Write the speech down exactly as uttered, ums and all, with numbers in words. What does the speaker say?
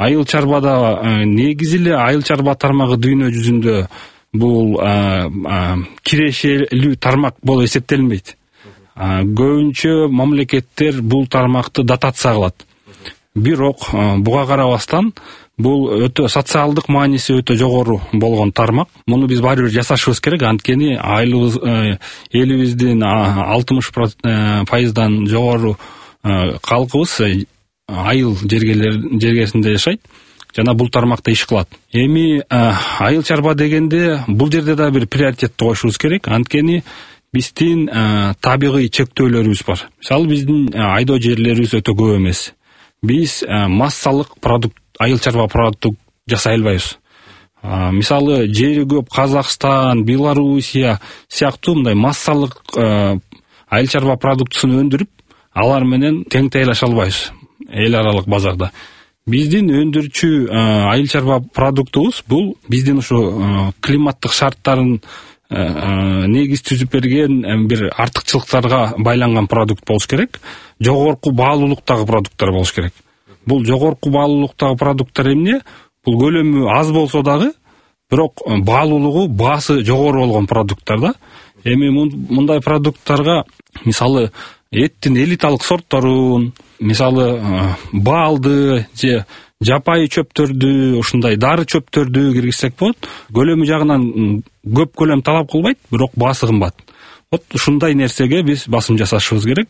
айыл чарбада негизи эле айыл чарба тармагы дүйнө жүзүндө бул кирешелүү тармак болуп эсептелинбейт. Көбүнчө мамлекеттер бул тармакты дотация кылат. Бирок буга карабастан бул өтө социалдык мааниси өтө жогору болгон тармак. Муну биз баары бир жасашыбыз керек. Анткени айылыбыз элибиздин алтымыш пайыздан жогору калкыбыз айыл жергесинде жашайт жана бул тармакта иш кылат. Эми айыл чарба дегенде бул жерде да бир приоритетти коюшубуз керек. Анткени биздин табигый чектөөлөрүбүз бар. Мисалы биздин айдоо жерлерибиз өтө көп эмес. Биз массалык продукт, айыл чарба продукт жасай албайбыз. Мисалы жери көп Казакстан, Белоруссия сыяктуу мындай массалык айыл чарба продуктусун өндүрүп, алар менен тең тейлеше албайбыз эл аралык базарда. Биздин өндүрчү айыл чарба продуктубуз бул биздин ушу климаттык шарттарын негиз түзүп берген бир артыкчылыктарга байланган продукт болуш керек. Жогорку баалуулуктагы продукттар болуш керек. Бул жогорку баалуулуктагы продукттар эмне? Бул көлөмү аз болсо дагы, бирок баалуулугу, баасы жогору болгон продукттар да. Эми мындай продукттарга мисалы эттин элиталык сортторун, мисалы баалды же жапайы чөптөрдү, ушундай дары чөптөрдү киргизсек болот. Көлөмү жагынан көп көлөм талап кылбайт, бирок баасы кымбат. Вот ушундай нерсеге биз басым жасашыбыз керек.